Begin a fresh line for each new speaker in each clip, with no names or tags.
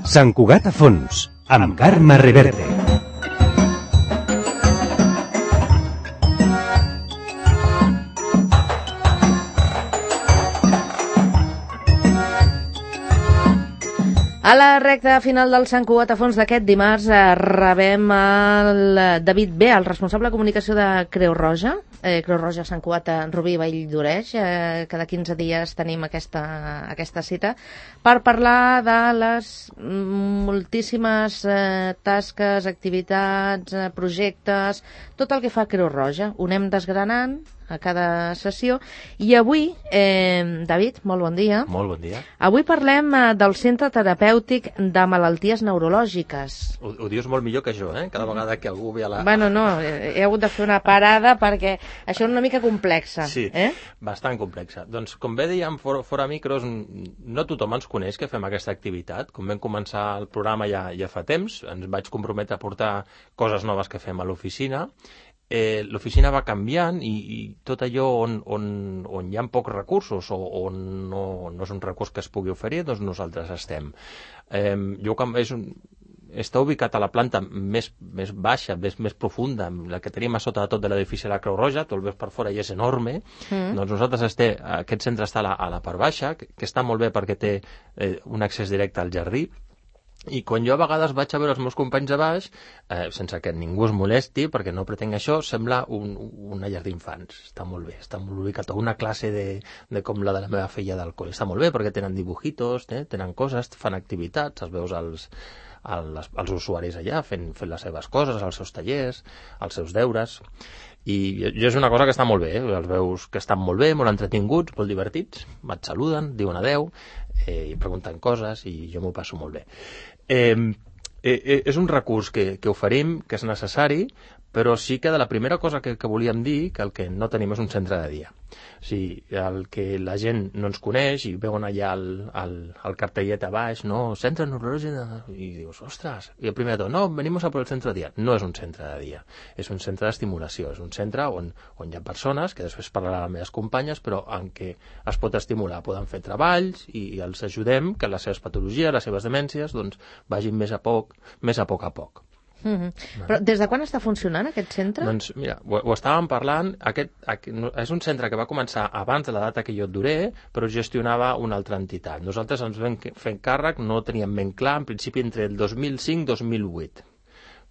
Sant Cugat a fons, amb Carme Reverte.
A la recta final del Sant Cugat a fons d'aquest dimarts rebem el David B, el responsable de comunicació de Creu Roja. Creu Roja Sant Cugat a Rubí, Vall d'Oreix. Cada 15 dies tenim aquesta cita per parlar de les moltíssimes tasques, activitats, projectes, tot el que fa Creu Roja. Ho anem desgranant a cada sessió. I avui, David, molt bon dia.
Molt bon dia.
Avui parlem del Centre Terapèutic de Malalties Neurològiques.
Ho dius molt millor que jo, cada vegada que algú ve a la...
Bueno, no, he hagut de fer una parada perquè això és una mica complexa.
Sí, bastant complexa. Doncs, com bé dèiem fora micros, no tothom ens coneix que fem aquesta activitat. Com vam començar el programa ja fa temps, ens vaig comprometre a portar coses noves que fem a l'oficina. L'oficina va canviant i tot allò on hi ha pocs recursos o on no és un recurs que es pugui oferir, doncs nosaltres estem. Està ubicat a la planta més baixa, més profunda, la que tenim a sota de tot de l'edifici de la Creu Roja, tu el veus per fora i és enorme. Doncs nosaltres aquest centre està a la part baixa, que està molt bé perquè té un accés directe al jardí. I quan jo a vegades vaig a veure els meus companys a baix, sense que ningú es molesti, perquè no pretenc això, sembla una llar d'infants. Està molt bé, està molt ubicat. Una classe de com la de la meva filla del col·le. Està molt bé perquè tenen dibujitos, tenen coses, fan activitats, els veus els usuaris allà fent les seves coses, els seus tallers, els seus deures. I és una cosa que està molt bé, els veus que estan molt bé, molt entretinguts, molt divertits, et saluden, diuen adeu, i pregunten coses, i jo m'ho passo molt bé. És un recurs que oferim, que és necessari, però sí que de la primera cosa que volíem dir, que el que no tenim és un centre de dia. O sigui, el que la gent no ens coneix i veuen allà el cartellet a baix, no, centre neurològic, i dius, ostres, i el primer de tot, no, venimos a por el centre de dia. No és un centre de dia, és un centre d'estimulació, és un centre on hi ha persones, que després parlarà les meves companyes, però en què es pot estimular, poden fer treballs i els ajudem que les seves patologies, les seves demències, doncs vagin més a poc a poc.
Però des de quan està funcionant aquest centre?
Doncs mira, ho estàvem parlant, és un centre que va començar abans de la data que jo et duré, però gestionava una altra entitat. Nosaltres ens vam fer càrrec, no teníem ben clar, en principi entre el 2005 i 2008.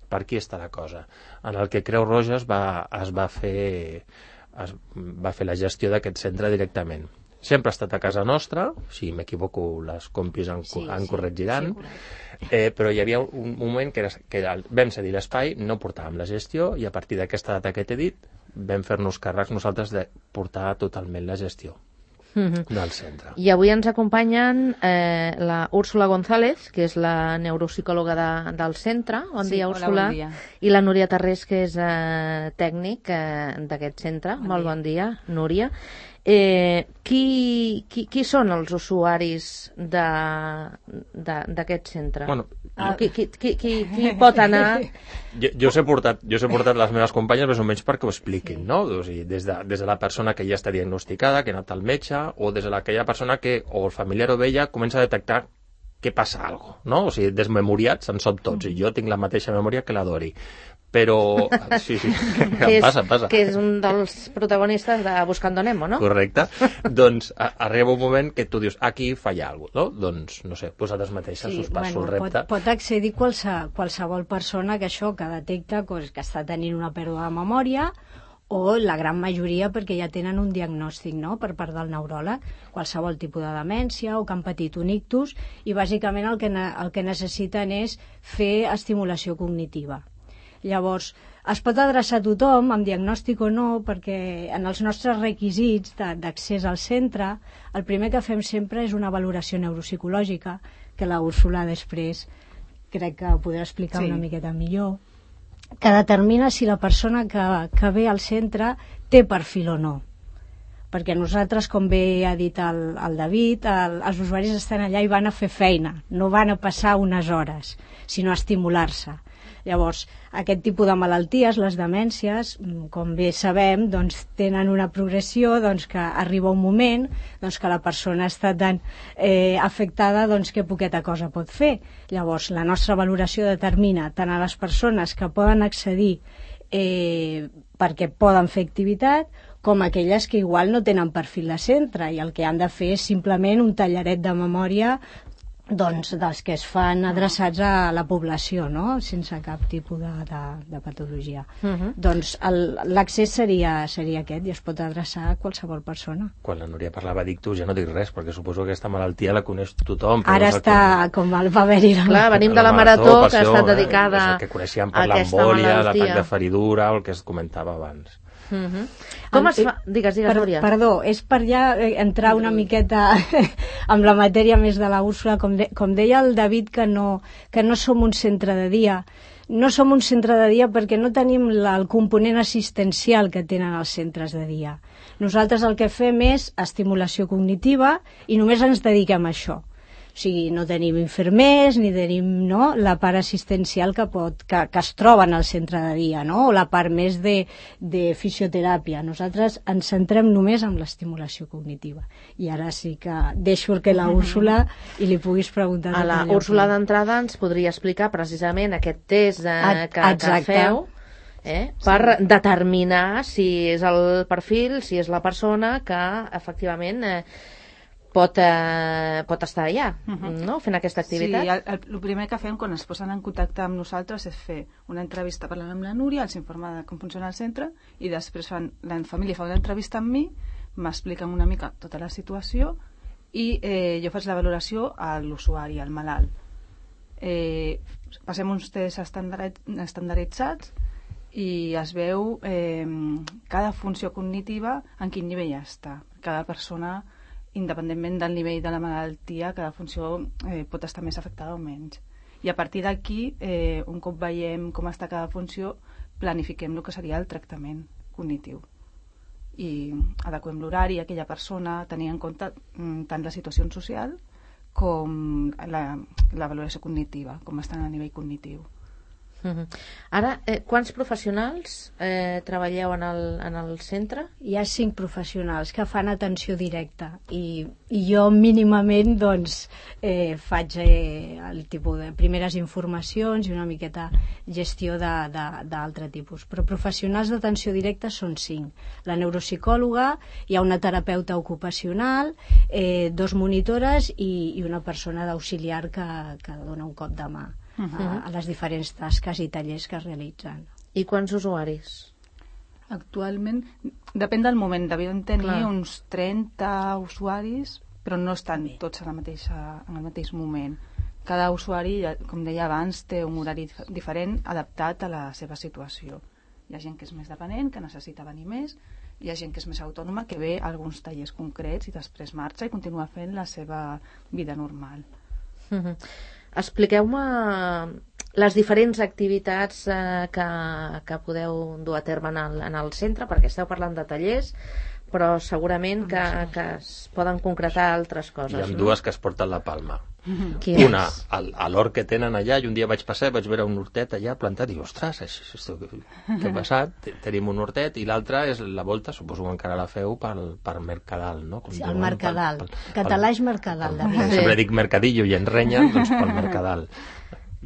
Per aquí està la cosa. En el que Creu Roja es va fer la gestió d'aquest centre directament. Sempre ha estat a casa nostra, si m'equivoco les compis en corregiran, però hi havia un moment que vam cedir l'espai, no portàvem la gestió, i a partir d'aquesta data que t'he dit vam fer-nos càrrecs nosaltres de portar totalment la gestió del centre.
I avui ens acompanyen la Úrsula González, que és la neuropsicòloga del centre. Bon dia, Úrsula.
Bon dia.
I la Núria Tarrés, que és tècnic d'aquest centre. Molt bon dia, Núria. Qui són els usuaris d'aquest centre?
Bueno,
qui pot anar?
Jo us he portat les meves companyes més o menys perquè ho expliquin, no? O sigui, des de la persona que ja està diagnosticada, que ha anat al metge, o des de aquella persona que o el familiar o ella comença a detectar que passa alguna cosa, no? O sigui, desmemoriats en som tots, i jo tinc la mateixa memòria que la Dori. Però, sí, passa.
Que és un dels protagonistes de Buscando Nemo, no?
Correcte. Doncs arriba un moment que tu dius, aquí falla alguna cosa, no? Doncs, no sé, vosaltres mateixes us passo el repte.
Pot accedir qualsevol persona que detecta que està tenint una pèrdua de memòria, o la gran majoria perquè ja tenen un diagnòstic, no?, per part del neuròleg, qualsevol tipus de demència o que han patit un ictus, i bàsicament el que necessiten és fer estimulació cognitiva. Llavors, es pot adreçar a tothom, amb diagnòstic o no, perquè en els nostres requisits d'accés al centre, el primer que fem sempre és una valoració neuropsicològica, que la Úrsula després crec que podrà explicar una miqueta millor, que determina si la persona que ve al centre té perfil o no. Perquè nosaltres, com bé ha dit el David, els usuaris estan allà i van a fer feina, no van a passar unes hores, sinó a estimular-se. Llavors, aquest tipus de malalties, les demències, com bé sabem, doncs, tenen una progressió, doncs, que arriba un moment doncs, que la persona està tan afectada doncs, que poqueta cosa pot fer. Llavors, la nostra valoració determina tant a les persones que poden accedir perquè poden fer activitat, com aquelles que igual no tenen perfil de centre i el que han de fer és simplement un tallaret de memòria doncs, dels que es fan adreçats a la població, no? Sense cap tipus de patologia. Doncs l'accés seria aquest i es pot adreçar a qualsevol persona.
Quan la Núria parlava d'ictus ja no dic res, perquè suposo que aquesta malaltia la coneix tothom.
Ara està com va haver-hi...
Clar, venim de la marató que ha estat dedicada
a aquesta malaltia. Per l'embòlia, l'atac de feridura, el que es comentava abans.
Com es fa? Digues, Núria.
Perdó, és per ja entrar una miqueta amb la matèria més de la Úrsula, com deia el David, que no som un centre de dia. No som un centre de dia perquè no tenim el component assistencial que tenen els centres de dia. Nosaltres el que fem és estimulació cognitiva i només ens dediquem a això. O sigui, no tenim infermers ni tenim la part assistencial que es troba en el centre de dia, no? O la part més de fisioteràpia. Nosaltres ens centrem només en l'estimulació cognitiva. I ara sí que deixo que la Úrsula i li puguis preguntar...
A la Úrsula d'entrada ens podria explicar precisament aquest test que feu per determinar si és el perfil, si és la persona que efectivament... pot estar allà, no? Fent aquesta activitat.
Sí, el primer que fem quan es posen en contacte amb nosaltres és fer una entrevista parlant amb la Núria, els informa de com funciona el centre i després la família fa una entrevista amb mi, m'expliquen una mica tota la situació i jo faig la valoració a l'usuari, al malalt. Passem uns tests estandarditzats i es veu cada funció cognitiva en quin nivell està. Cada persona, independentment del nivell de la malaltia, cada funció pot estar més afectada o menys. I a partir d'aquí, un cop veiem com està cada funció, planifiquem el que seria el tractament cognitiu. I adequem l'horari a aquella persona, tenint en compte tant la situació social com la valoració cognitiva, com estan a nivell cognitiu.
Ara, quants professionals treballeu en el centre?
Hi ha 5 professionals que fan atenció directa i jo mínimament doncs faig el tipus de primeres informacions i una miqueta gestió d'altre tipus, però professionals d'atenció directa són 5. La neuropsicòloga, hi ha una terapeuta ocupacional, 2 monitores i una persona d'auxiliar que dona un cop de mà a les diferents tasques i tallers que es realitzen.
I quants usuaris?
Actualment, depèn del moment, devien tenir uns 30 usuaris, però no estan tots en el mateix moment. Cada usuari, com deia abans, té un horari diferent adaptat a la seva situació. Hi ha gent que és més dependent, que necessita venir més, hi ha gent que és més autònoma, que ve a alguns tallers concrets i després marxa i continua fent la seva vida normal.
Expliqueu-me les diferents activitats que podeu dur a terme en el centre, perquè esteu parlant de tallers, però segurament que es poden concretar altres coses.
Hi ha dues que es porten la palma. Una, a l'hort que tenen allà, i un dia vaig passar i vaig veure un hortet allà plantat i dic, ostres, què ha passat? Tenim un hortet, i l'altra és la volta, suposo que encara la feu per Mercadal, no?
Sí, el Mercadal. Català és Mercadal.
Sempre dic Mercadillo i en renyen, doncs pel Mercadal.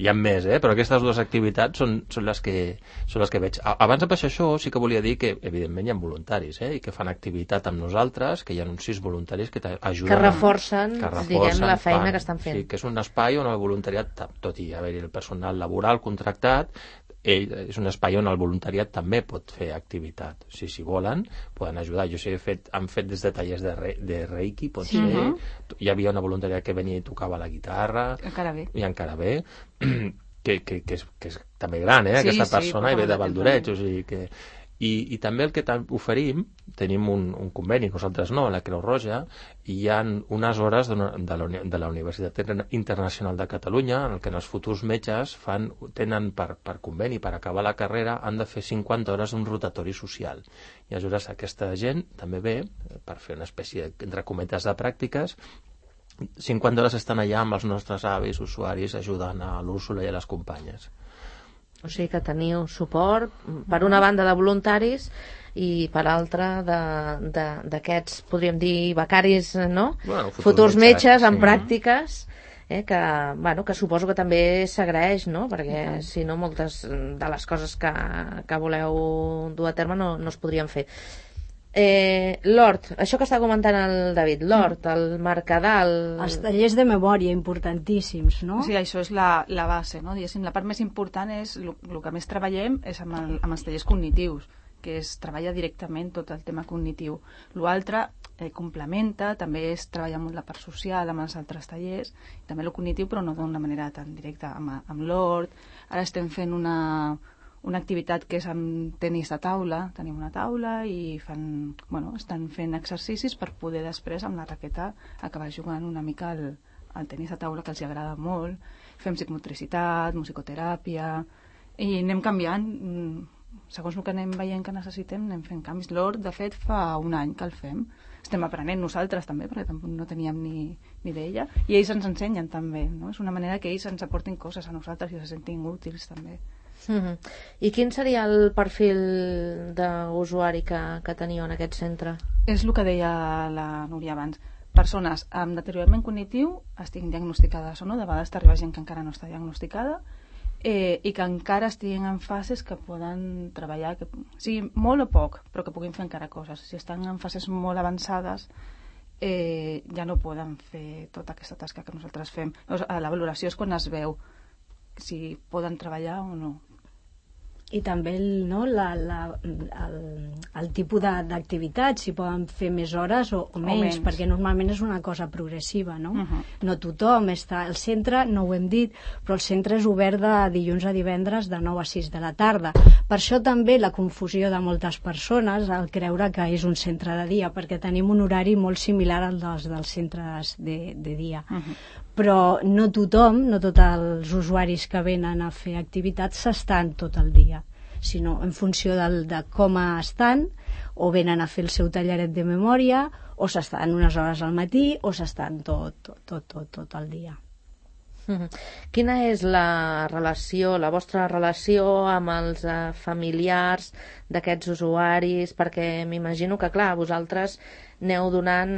Hi ha més, però aquestes dues activitats són les que veig. Abans de passar això, sí que volia dir que, evidentment, hi ha voluntaris, i que fan activitat amb nosaltres, que hi ha uns 6 voluntaris que t'ajuden.
Que reforcen, diguem, la feina que estan fent.
Sí, que és un espai on el voluntariat, tot i haver-hi el personal laboral contractat, és un espai on el voluntariat també pot fer activitat. Si volen, poden ajudar. Jo sé que han fet des de tallers de Reiki, pot ser. Hi havia una voluntària que venia i tocava la guitarra. I encara bé. Que és també gran, aquesta persona, i ve de Valdoreig. O sigui que... I també el que oferim, tenim un conveni, nosaltres no, a la Creu Roja, i hi ha unes hores de la Universitat Internacional de Catalunya en què els futurs metges tenen per conveni, per acabar la carrera, han de fer 50 hores d'un rotatori social. I aleshores aquesta gent també ve per fer una espècie, entre cometes, de pràctiques. 50 hores estan allà amb els nostres avis, usuaris, ajudant a l'Úrsula i a les companyes.
O sigui que teniu suport, per una banda de voluntaris i per altra d'aquests, podríem dir, becaris, no?
Bueno,
futurs metges en
sí.
pràctiques, que suposo que també s'agraeix, no? Perquè si no moltes de les coses que voleu dur a terme no es podrien fer. L'hort, això que està comentant el David, l'hort, el Mercadal...
Els tallers de memòria importantíssims, no?
Sí, això és la base, no? Diguéssim, la part més important és, el que més treballem és amb els tallers cognitius, que es treballa directament tot el tema cognitiu. L'altre complementa, també és treballar molt la part social amb els altres tallers, també el cognitiu, però no d'una manera tan directa amb l'hort. Ara estem fent una activitat que és amb tenis de taula, tenim una taula i estan fent exercicis per poder després amb la raqueta acabar jugant una mica al tenis de taula, que els agrada molt. Fem psicomotricitat, musicoteràpia i anem canviant, segons el que anem veient que necessitem anem fent canvis. L'hort, de fet, fa un any que el fem. Estem aprenent nosaltres també, perquè tampoc no teníem ni idea, i ells ens ensenyen també, no? És una manera que ells ens aportin coses a nosaltres i se sentin útils també.
I quin seria el perfil d'usuari que teniu en aquest centre?
És el que deia la Núria abans. Persones amb deteriorament cognitiu estiguin diagnosticades o no, de vegades t'arriba gent que encara no està diagnosticada i que encara estiguin en fases que poden treballar, que sigui molt o poc, però que puguin fer encara coses. Si estan en fases molt avançades ja no poden fer tota aquesta tasca que nosaltres fem. La valoració és quan es veu si poden treballar o no.
I també el tipus d'activitat, si poden fer més hores o menys, perquè normalment és una cosa progressiva, no? No tothom està... El centre, no ho hem dit, però el centre és obert de dilluns a divendres de 9 a 6 de la tarda. Per això també la confusió de moltes persones al creure que és un centre de dia, perquè tenim un horari molt similar al dels centres de dia. Però no tothom, no tots els usuaris que venen a fer activitats s'estan tot el dia, sinó en funció de com estan, o venen a fer el seu talleret de memòria, o s'estan unes hores al matí, o s'estan tot el dia.
Quina és la vostra relació amb els familiars d'aquests usuaris? Perquè m'imagino que, clar, vosaltres aneu donant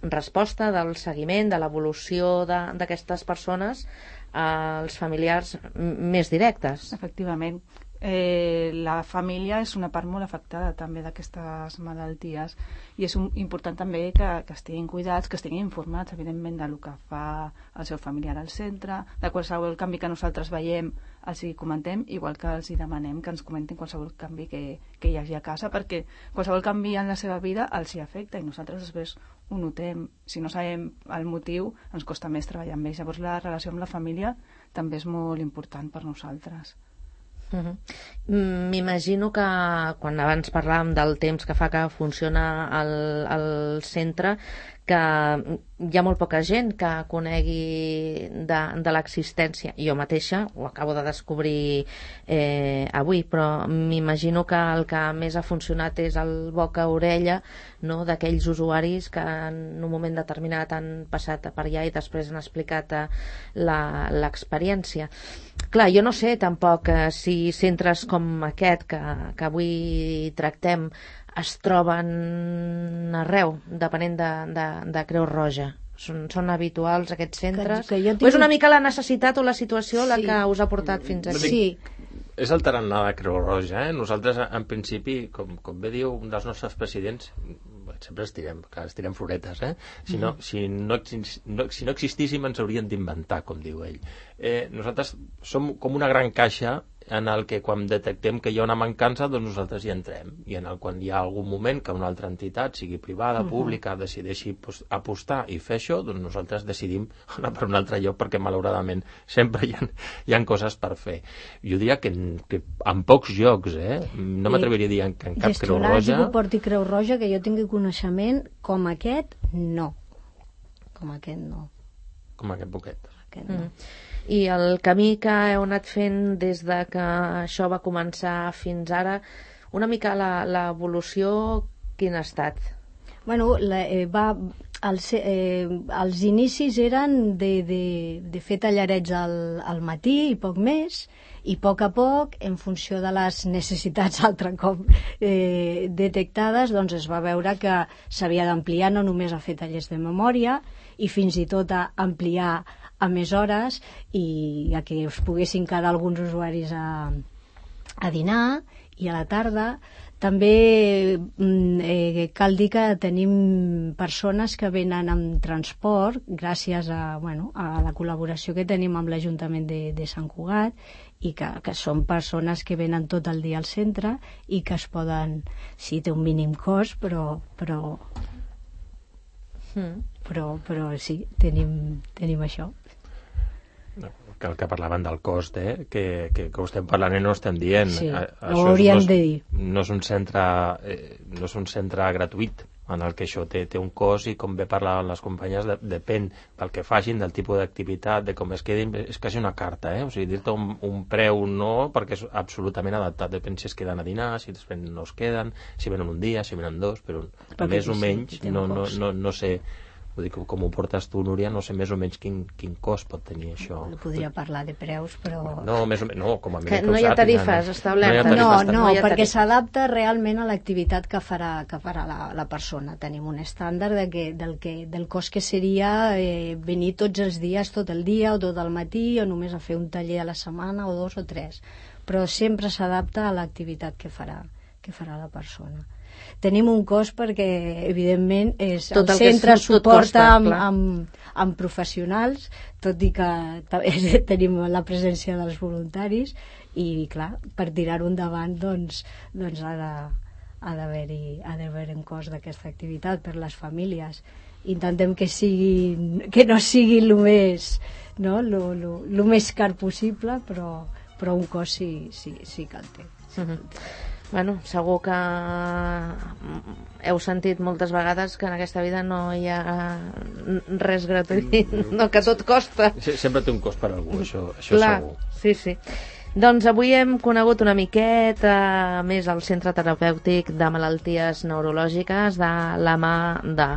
resposta del seguiment, de l'evolució d'aquestes persones als familiars més directes.
Efectivament. La família és una part molt afectada també d'aquestes malalties i és important també que estiguin cuidats, que estiguin informats, evidentment, del que fa el seu familiar al centre, de qualsevol canvi que nosaltres veiem els hi comentem, igual que els hi demanem que ens comentin qualsevol canvi que hi hagi a casa, perquè qualsevol canvi en la seva vida els hi afecta i nosaltres després ho notem. Si no sabem el motiu, ens costa més treballar amb ells. Llavors la relació amb la família també és molt important per nosaltres.
M'imagino que quan abans parlàvem del temps que fa que funciona el centre, que hi ha molt poca gent que conegui de l'existència. Jo mateixa ho acabo de descobrir avui, però m'imagino que el que més ha funcionat és el boca-orella, no?, d'aquells usuaris que en un moment determinat han passat per allà i després han explicat l'experiència. Clar, jo no sé tampoc si centres com aquest que avui tractem es troben arreu, depenent de Creu Roja. Són habituals aquests centres? O és una mica la necessitat o la situació la que us ha portat fins aquí?
Sí.
És el tarannà de Creu Roja. Nosaltres, en principi, com bé diu un dels nostres presidents, sempre estirem floretes, si no existíssim ens haurien d'inventar, com diu ell. Nosaltres som com una gran caixa en el que quan detectem que hi ha una mancança, doncs nosaltres hi entrem, i quan hi ha algun moment que una altra entitat, sigui privada, pública, decideixi apostar i fer això, doncs nosaltres decidim anar per un altre lloc, perquè malauradament sempre hi ha coses per fer. Jo diria que en pocs llocs, no m'atreviria a dir que en cap Creu Roja...
Gestionar que porti Creu Roja, que jo tingui coneixement, com aquest, no. Com aquest, no.
Com aquest poquet.
Aquest, no.
I el camí que heu anat fent des de que això va començar fins ara, una mica l'evolució, quina ha estat?
Bueno, els inicis eren de fer tallarets al matí i poc més, i a poc, en funció de les necessitats altre cop detectades, doncs es va veure que s'havia d'ampliar no només a fer tallers de memòria, i fins i tot a ampliar a més hores i a que us poguessin quedar alguns usuaris a dinar, i a la tarda també cal dir que tenim persones que venen amb transport gràcies a la col·laboració que tenim amb l'Ajuntament de Sant Cugat, i que són persones que venen tot el dia al centre i que es poden... Sí, té un mínim cost, però sí, tenim això.
Que parlaven del cost, que ho estem parlant i no ho estem dient.
Sí, ho hauríem de dir.
No és un centre gratuït, en el que això té un cost, i com bé parlaven les companyes, depèn del que facin, del tipus d'activitat, de com es quedin, és quasi una carta, o sigui, dir-te un preu no, perquè és absolutament adaptat, depèn si es queden a dinar, si després no es queden, si venen un dia, si venen dos, però més o menys no sé. Vull dir, com ho portes tu, Núria, no sé més o menys quin cost pot tenir això.
No podria parlar de preus, però...
No, més o menys, no, com a mínim
que no hi ha tarifes establertes.
No, perquè s'adapta realment a l'activitat que farà la persona. Tenim un estàndard del cost que seria venir tots els dies, tot el dia o tot el matí, o només a fer un taller a la setmana o 2 o 3. Però sempre s'adapta a l'activitat que farà la persona. Tenim un cost perquè, evidentment, el centre suporta amb professionals, tot i que tenim la presència dels voluntaris, i, clar, per tirar-ho endavant, doncs ha d'haver un cost d'aquesta activitat per les famílies. Intentem que no sigui el més car possible, però un cost sí que el té.
Bueno, segur que heu sentit moltes vegades que en aquesta vida no hi ha res gratuït, no, que tot costa.
Sempre té un cost per algú, això
clar,
segur.
Sí. Doncs avui hem conegut una miqueta més el Centre Terapèutic de Malalties Neurològiques de la mà de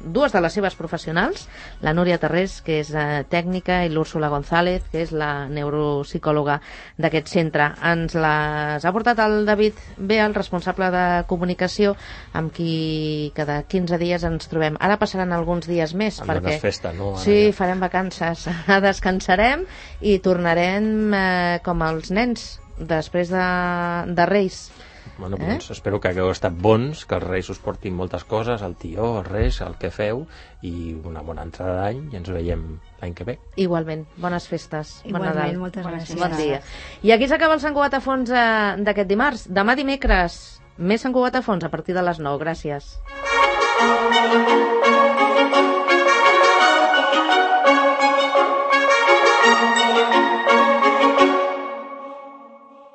dues de les seves professionals, la Núria Tarrés, que és tècnica, i l'Úrsula González, que és la neuropsicòloga d'aquest centre. Ens les ha portat el David Bea, el responsable de comunicació, amb qui cada 15 dies ens trobem. Ara passaran alguns dies més, perquè
festa, no?
Sí, farem vacances, descansarem i tornarem com els nens després de Reis.
Bueno, doncs espero que hagueu estat bons, que els Reis us portin moltes coses, el tió, els Reis, el que feu, i una bona entrada d'any, i ens veiem l'any que ve.
Igualment, bones festes.
Igualment,
bon Nadal.
moltes gràcies.
Bon dia. I aquí s'acaba el Sant Cugat a fons d'aquest dimarts. Demà dimecres, més Sant Cugat a fons a partir de les 9. Gràcies.